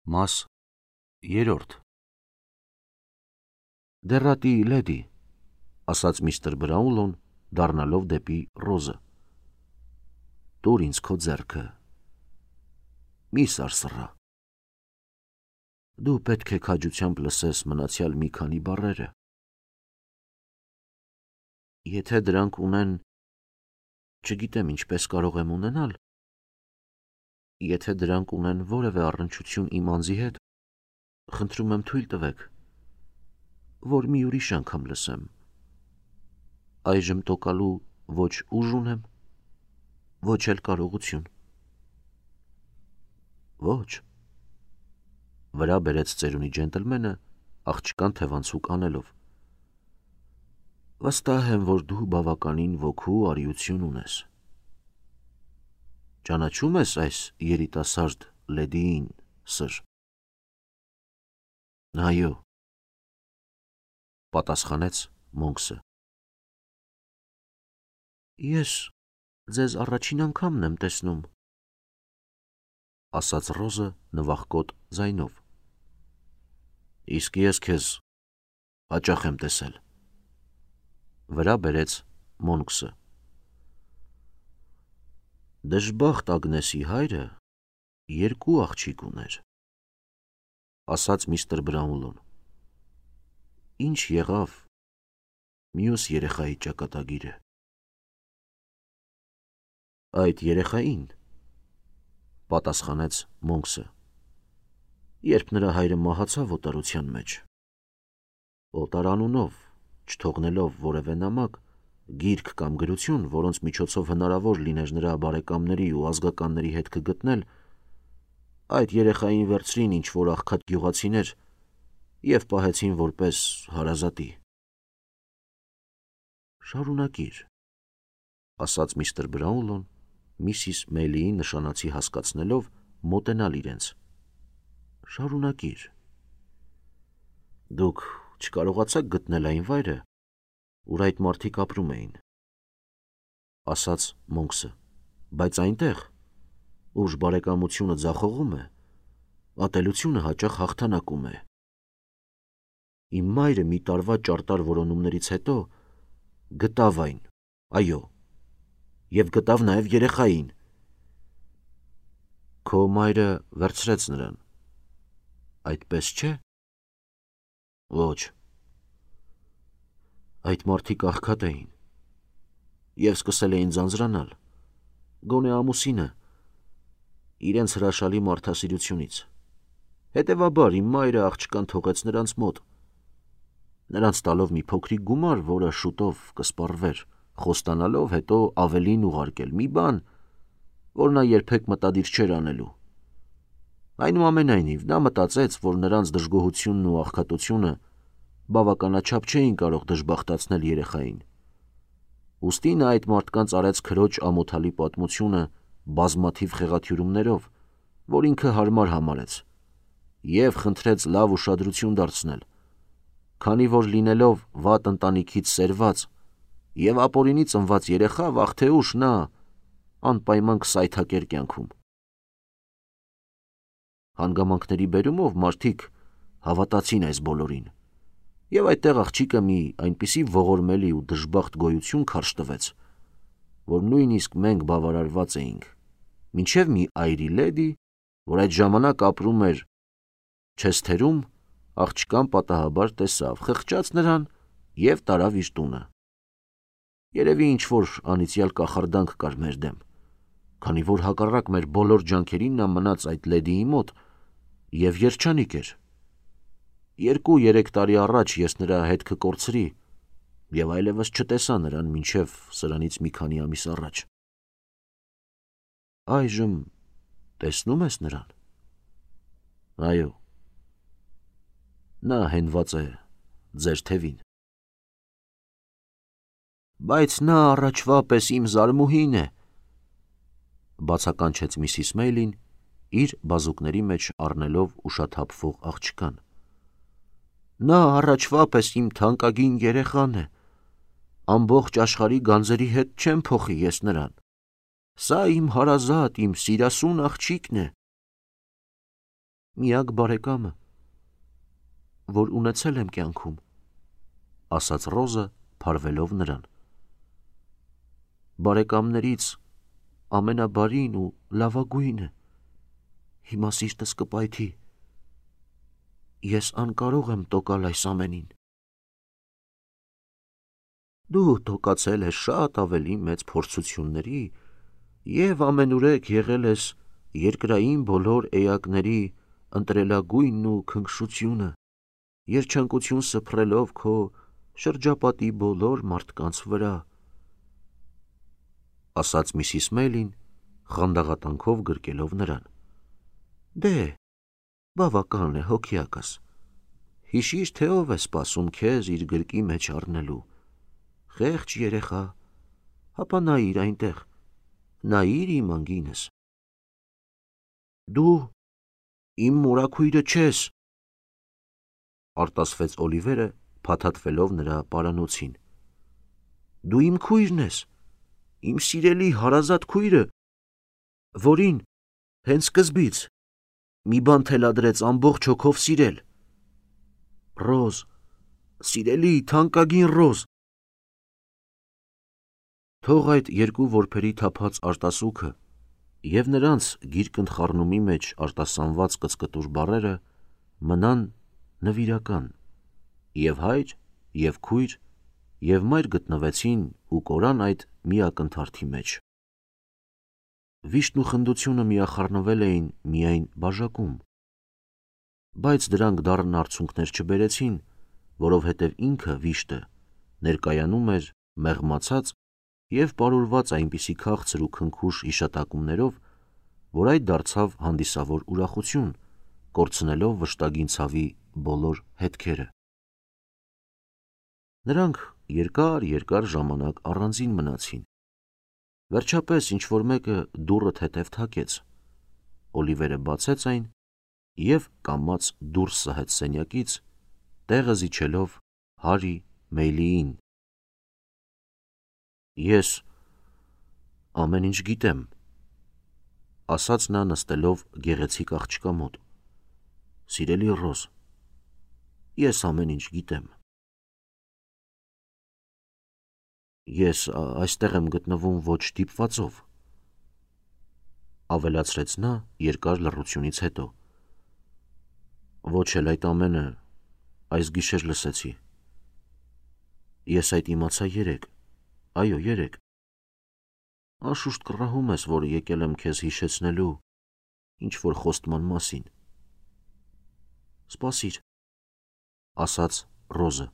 Մաս 3 Դեռատի լեդի, ասաց միստր Բրաունլոն, դառնալով դեպի Ռոզը. Տուր ինձ քո ձեռքը, մի սարսռա։ Դու պետք է քաջությամբ լսես մնացյալ մի քանի բառերը։ Եթե դրանք ունեն, չգիտեմ ինչպես կարող եմ ունենալ, եթե դրանք ունեն որևէ առնչություն իմ անձի հետ, խնդրում եմ թույլ տվեք, որ մի ուրիշ անգամ լսեմ։ Այժմ տոկալու ոչ ուժ ունեմ, ոչ էլ կարողություն։ Ոչ, վրա բերեց ծերունի ջենտլմենը, աղջկան թևանցուկ անելով։ Վստահ եմ, որ դու բավականին ոգու արիություն ունես։ Ճանաչում ես այս երիտասարդ լեդիին, սըր։ Այո, պատասխանեց Մոնքսը։ Ես ձեզ առաջին անգամն եմ տեսնում, ասաց Ռոզը նվախկոտ ձայնով։ Իսկ ես քեզ հաճախ եմ տեսել, վրա բերեց Մոնքսը։ Դժբախտ Ագնեսի հայրը երկու աղջիկ ուներ, ասաց միստր Բրաունլոն։ Ինչ եղավ մյուս երեխայի ճակատագիրը։ Այդ երեխային, պատասխանեց Մոնքսը, երբ նրա հայրը մահացավ օտարության մեջ, օտարանունով, չթողնելով որևէ նամակ, գիրք կամ գրություն, որոնց միջոցով հնարավոր լիներ նրա բարեկամների ու ազգականների հետքը գտնել, այդ երեխային վերցրին ինչ-որ աղքատ գյուղացիներ և պահեցին որպես հարազատի։ Շարունակիր, ասաց միստր Բրաունլոն, միսիս Մեյլիին նշանացի հասկացնելով, մոտենալ իրենց։ Շարունակիր։ Դուք չկարողացաք գտնել այն վայրը, ուր այդ մարդիկ ապրում էին, ասաց Մոնքսը, բայց այնտեղ, ուր բարեկամությունը ձախողում է, ատելությունը հաճախ հաղթանակում է։ Իմ մայրը մի տարվա ճարտար որոնումներից հետո գտավ այն, այո, և գտավ նաև երեխային։ Քո մայրը վերցրեց նրան, այդպես չէ։ Ոչ։ Այդ մարդիկ աղքատ էին և սկսել էին ձանձրանալ, գոնե ամուսինը, իրենց հրաշալի մարդասիրությունից։ Հետևաբար իմ մայրը աղջկան թողեց նրանց մոտ, նրանց տալով մի փոքրիկ գումար, որը շուտով կսպառվեր, խոստանալով հետո ավելին ուղարկել մի բան, որ նա երբեք մտադիր չէր անելու։ Այնուամենայնիվ, նա մտածեց, որ նրանց դժգոհությունն ու աղքատությունը բավականաչափ չէին կարող դժբախտացնել երեխային։ Ուստի նա այդ մարդկանց արեց քրոջ ամոթալի պատմությունը բազմաթիվ խեղաթյուրումներով, որ ինքը հարմար համարեց, և խնդրեց լավ ուշադրություն դարձնել, քանի որ լինելով վատ ընտանիքից սերված և ապօրինի ծնված երեխա, վաղ թե ուշ նա անպայման կսայթաքեր կյանքում։ Հանգամանքների բերումով մարդիկ հավատացին այս բոլորին, և այդտեղ աղջիկը մի այնպիսի ողորմելի ու դժբախտ գոյություն քարշ տվեց, որ նույնիսկ մենք բավարարված էինք, մինչև մի այրի լեդի, որ այդ ժամանակ ապրում էր Չեսթերում, աղջկան պատահաբար տեսավ, խղճաց նրան և տարավ իր տունը։ Երևի ինչ-որ անիծյալ կախարդանք կար մեր դեմ, քանի որ հակառակ մեր բոլոր ջանքերին նա մնաց այդ լեդիի մոտ և երջանիկ էր։ 2-3 տարի առաջ ես նրա հետքը կորցրի և այլևս չտեսա նրան մինչև սրանից մի քանի ամիս առաջ։ Այժմ տեսնո՞ւմ ես նրան։ Այո, նա հենված է ձեր թևին։ Բայց նա առաջվա պես իմ զարմուհին է, բացականչեց միսիս Մեյլին, իր բազուկների մեջ առնելով ուշաթափվող աղջկան։ Նա առաջվա պես իմ թանկագին երեխան է, ամբողջ աշխարհի գանձերի հետ չեմ փոխի ես նրան։ Սա իմ հարազատ, իմ սիրասուն աղջիկն է։ Միակ բարեկամը, որ ունեցել եմ կյանքում, ասաց Ռոզը, փարվելով նրան։ Բարեկամներից ամենաբարին ու լավագույնը, հիմա սիրտս կպայթի, ես անկարող եմ տոկալ այս ամենին։ Դու տոկացել ես շատ ավելի մեծ փորձությունների և ամենուրեք եղել ես երկրային բոլոր էակների ընտրելագույնն ու քնքշությունը, երջանկություն սփռելով քո շրջապատի բոլոր մարդկանց վրա, ասաց Միսիս Մեյլին, խանդաղատանքով գրկելով նրան։ Դե, բավական է հոգիակս, հիշիր, թե ով է սպասում քեզ իր գրկի մեջ առնելու, խեղճ երեխա, հապա նայիր այնտեղ, նայիր իմ անգինս։ Դու իմ մորաքույրը չես, արտասվեց Օլիվերը, փաթաթվելով նրա պարանոցին։ Դու իմ քույրն ես, իմ սիրելի հարազատ քույրը, որին հենց սկզբից մի բան թելադրեց ամբողջ հոգով սիրել։ Ռոզ, սիրելի թանկագին Ռոզ։ Թող այդ երկու որբերի թափած արտասուքը և նրանց գիրկընթխառնումի մեջ արտասանված կծկտուր բառերը մնան նվիրական, և հայր, և քույր, և մայր գտնվեցին ու կորան այդ մի ակնթարթի մեջ։ Վիշտն ու խնդությունը միախառնվել էին միայն բաժակում, բայց դրանք դառն արդյունքներ չբերեցին, որովհետև ինքը վիշտը ներկայանում էր մեղմացած և պարուրված այնպիսի քաղցր ու քնքուշ հիշատակումներով, որ այդ դարձավ հանդիսավոր ուրախություն, կորցնելով վշտագին ցավի բոլոր հետքերը։ Նրանք երկար ժամանակ առանձին մնացին։ Վերջապես ինչ-որ մեկը դուռը թեթև թակեց։ Օլիվերը բացեց այն և կամաց դուրս սահեց սենյակից, տեղը զիջելով Հարի Մեյլիին։ Ես ամեն ինչ գիտեմ, ասաց նա նստելով գեղեցիկ աղջկա մոտ։ Սիրելի Ռոզ, ես ամեն ինչ գիտեմ։ Ես այստեղ եմ գտնվում ոչ դիպվածով, ավելացրեց նա երկար լռությունից հետո։ Ոչ էլ այդ ամենը այս գիշեր լսեցի։ Ես այդ իմացա երեկ, այո, երեկ։ Անշուշտ կռահում ես, որ եկել եմ քեզ հիշեցնելու ինչ-որ խոստման մասին։ Սպասիր, ասաց Ռոզը։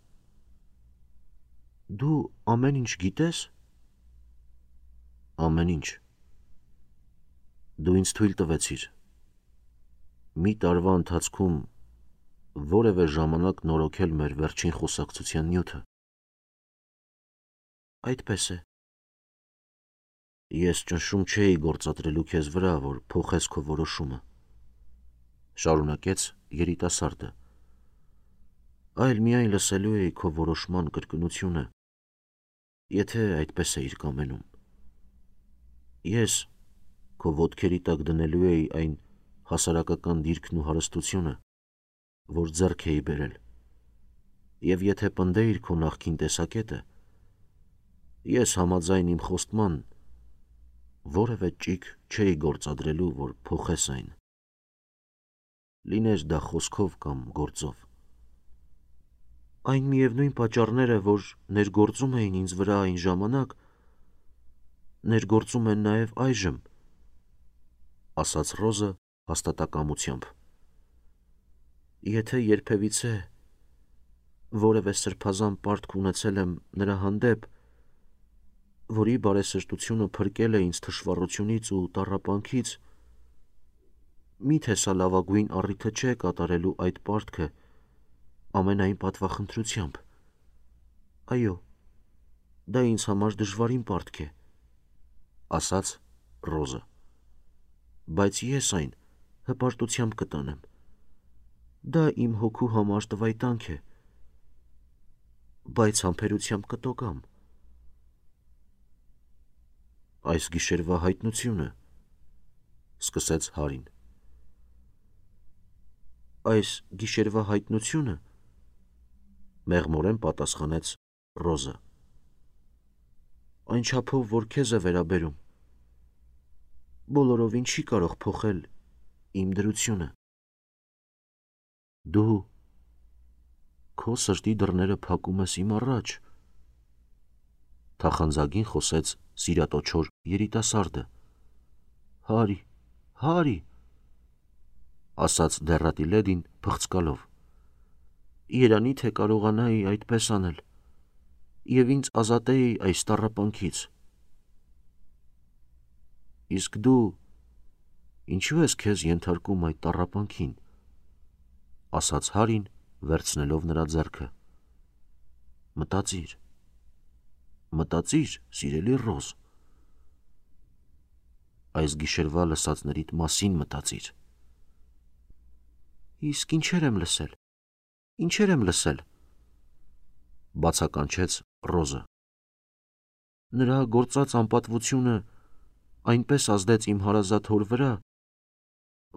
Դու ամեն ինչ գիտես։ Ամեն ինչ։ Դու ինձ թույլ տվեցիր մի տարվա ընթացքում որևէ ժամանակ նորոգել մեր վերջին խոսակցության նյութը։ Այդպես է։ Ես ճնշում չէի գործադրելու քեզ վրա, որ փոխես քո որոշումը, շարունակեց երիտասարդը, այլ միայն լսելու էի քո որոշման կրկնությունը, եթե այդպես էիր կամենում։ Ես քո ոտքերի տակ դնելու էի այն հասարակական դիրքն ու հարստությունը, որ ձեռք էի բերել, և եթե պնդեիր քո նախկին տեսակետը, ես համաձայն իմ խոստման որևէ ճիգ չէի գործադրելու, որ փոխես այն, լիներ դա խոսքով կամ գործով։ Այն միևնույն պատճառները, որ ներգործում էին ինձ վրա այն ժամանակ, ներգործում են նաև այժմ, ասաց Ռոզը հաստատակամությամբ։ Եթե երբևիցե որևէ սրբազան պարտք ունեցել եմ նրա հանդեպ, որի բարեսրտությունը փրկել է ինձ թշվառությունից ու տառապանքից, միթե սա լավագույն առիթը չէ կատարելու այդ պարտքը ամենայն պատվախնդրությամբ։ Այո, դա ինձ համար դժվարին պարտք է, ասաց Ռոզը, բայց ես այն հպարտությամբ կտանեմ։ Դա իմ հոգու համար տվայտանք է, բայց համբերությամբ կտոկամ։ Այս գիշերվա հայտնությունը, սկսեց Հարին։ Այս գիշերվա հայտնությունը, մեղմորեն պատասխանեց Ռոզը, այն չափով, որ քեզ է վերաբերում, բոլորովին չի կարող փոխել իմ դրությունը։ Դու քո սրտի դռները փակում ես իմ առաջ, թախանձագին խոսեց սիրատոչոր երիտասարդը։ Հարի, Հարի, ասաց դեռատի լեդին փղծկալով, երանի թե կարողանայի այդպես անել և ինձ ազատեի այս տառապանքից։ Իսկ դու ինչու ես քեզ ենթարկում այդ տառապանքին, ասաց Հարին վերցնելով նրա ձեռքը։ Մտածիր, սիրելի Ռոզ, այս գիշերվա լսածներիդ մասին մտածիր։ Իսկ ինչեր եմ լսել, բացականչեց Ռոզը։ Նրա գործած անպատվությունը այնպես ազդեց իմ հարազատ հոր վրա,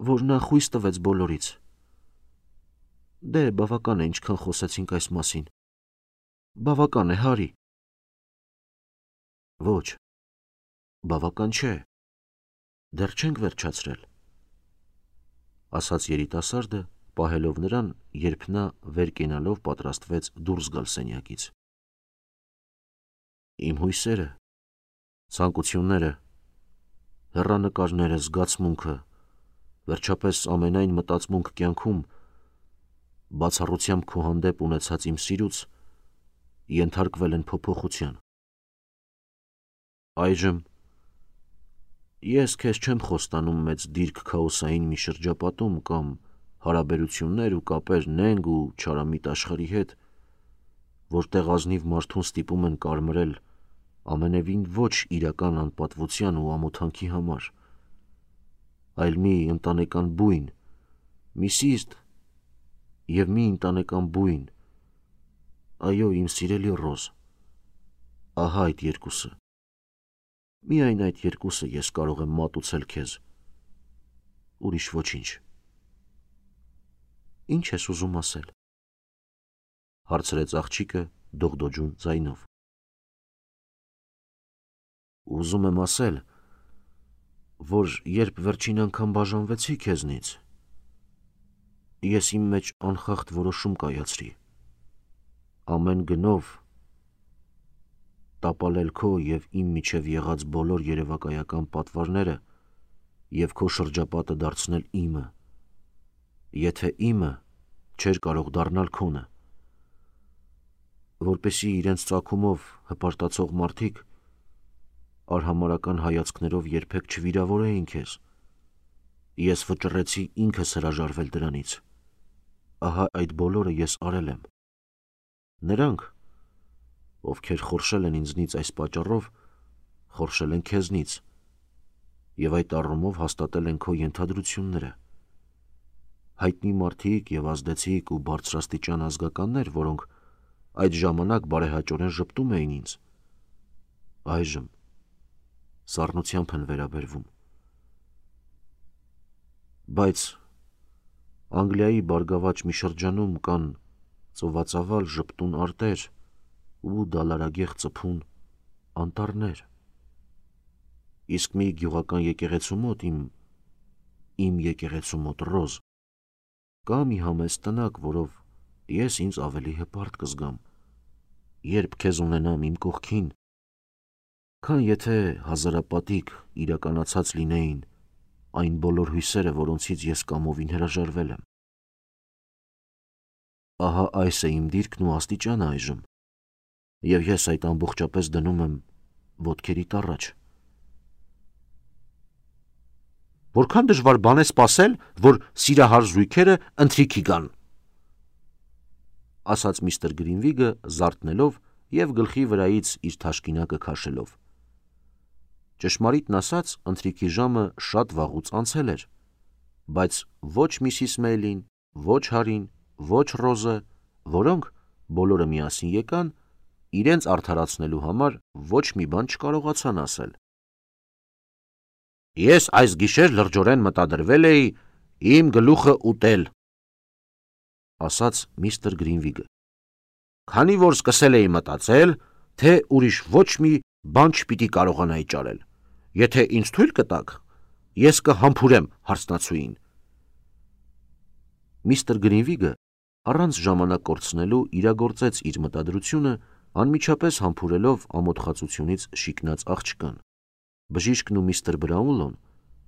որ նա խույս տվեց բոլորից։ Դե, բավական է, ինչքան խոսեցինք այս մասին։ Բավական է, Հարի։ Ոչ, բավական չէ, դեռ չենք վերջացրել, ասաց երիտասարդը, պահելով նրան, երբ նա վեր կենալով պատրաստվեց դուրս գալ սենյակից։ Իմ հույսերը, ցանկությունները, հեռանկարները, զգացմունքը, վերջապես ամենայն մտածմունք կյանքում, բացառությամբ քո հանդեպ ունեցած իմ սիրուց, ենթարկվել են փոփոխության։ Այժմ ես քեզ չեմ խոստանում մեծ դիրք քաոսային մի շրջապատում կամ հարաբերություններ ու կապեր նենգ ու չարամիտ աշխարհի հետ, որտեղ ազնիվ մարդուն ստիպում են կարմրել ամենևին ոչ իրական անպատվության ու ամոթանքի համար, այլ մի ընտանեկան բույն, մի սիրտ և մի ընտանեկան բույն, այո, իմ սիրելի Ռոզ, ահա այդ երկուսը, միայն այդ երկուսը ես կարող եմ մատուցել քեզ, ուրիշ ոչինչ։ Ինչ ես ուզում ասել, հարցրեց աղջիկը դողդոջուն ձայնով։ Ուզում եմ ասել, որ երբ վերջին անգամ բաժանվեցի քեզնից, ես իմ մեջ անխախտ որոշում կայացրի, ամեն գնով տապալել քո և իմ միջև եղած բոլոր երևակայական պատվարները և քո շրջապատը դարձնել իմը, եթե իմը չէր կարող դառնալ քոնը, որպեսզի իրենց ծագումով հպարտացող մարդիկ արհամարհական հայացքներով երբեք չվիրավորեին քեզ, ես վճռեցի ինքս հրաժարվել դրանից, ահա այդ բոլորը ես արել եմ։ Նրանք, ովքեր խորշել են ինձնից այս պատճառով, խորշել են քեզնից և այդ առումով հաստատել են քո ենթադրությունները։ Հայտնի մարդիկ և ազդեցիկ ու բարձրաստիճան ազգականներ, որոնք այդ ժամանակ բարեհաճորեն ժպտում էին ինձ, այժմ սառնությամբ են վերաբերվում։ Բայց Անգլիայի բարգավաճ մի շրջանում կան ծովածավալ ժպտուն արտեր ու դալարագեղ ծփուն անտառներ։ Իսկ մի գյուղական եկեղեցու մոտ, իմ եկեղեցու մոտ, Ռոզ, կա մի համեստ տնակ, որով ես ինձ ավելի հպարտ կզգամ, երբ քեզ ունենամ իմ կողքին, քան եթե հազարապատիկ իրականացած լինեին այն բոլոր հույսերը, որոնցից ես կամովին հրաժարվել եմ։ Ահա այս է իմ դիրքն ու աստիճանը այժմ, և ես այդ ամբողջապես դնում եմ ոտքերիդ առաջ։ Որքան դժվար բան է սպասել, որ սիրահար զույգերը ընթրիքի գան, ասաց միստր Գրինվիգը զարթնելով և գլխի վրայից իր թաշկինակը քաշելով։ Ճշմարիտն ասած, ընթրիքի ժամը շատ վաղուց անցել էր, բայց ոչ Միսիս Մեյլին, ոչ Հարին, ոչ Ռոզը, որոնք բոլորը միասին եկան, իրենց արդարացնելու համար ոչ մի բան չկարողացան ասել։ Ես այս գիշեր լրջորեն մտադրվել էի իմ գլուխը ուտել, ասաց միստր Գրինվիգը։ Քանի որ սկսել էի մտածել, թե ուրիշ ոչ մի բան չպիտի կարողանայի ճարել։ Եթե ինձ թույլ կտաք, ես կհամբուրեմ հարսնացուին։ Միստր Գրինվիգը առանց ժամանակ կորցնելու իրագործեց իր մտադրությունը, անմիջապես համբուրելով ամոթխածությունից շիկնած աղջկան։ Բժիշկն ու միստր Բրաունլոն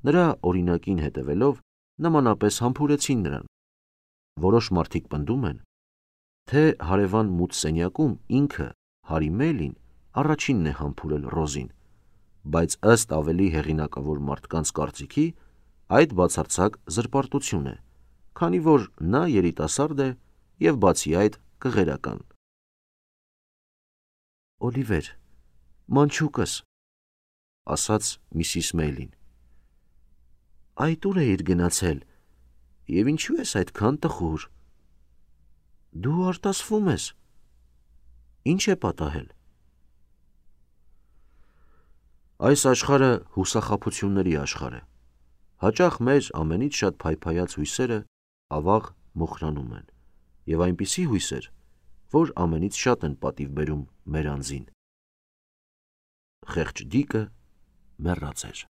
նրա օրինակին հետևելով նմանապես համբուրեցին նրան։ Որոշ մարդիկ պնդում են, թե հարևան մութ սենյակում ինքը Հարի Մեյլին առաջինն է համբուրել Ռոզին, բայց ըստ ավելի հեղինակավոր մարդկանց կարծիքի այդ բացարձակ զրպարտություն է, քանի որ նա երիտասարդ է և բացի այդ կղերական։ Օլիվեր, մանչուկս, ասաց Միսիս Մեյլին, այդ ուր էիր գնացել և ինչու ես այդքան տխուր։ Դու արտասվում ես, ինչ է պատահել։ Այս աշխարհը հուսախաբությունների աշխարհ է։ Հաճախ մեր ամենից շատ փայփայած հույսերը ավաղ մոխրանում են, և այնպիսի հույսեր, որ ամենից շատ են պատիվ բերում մեր անձին։ Խեղճ դիկը մեռած էր։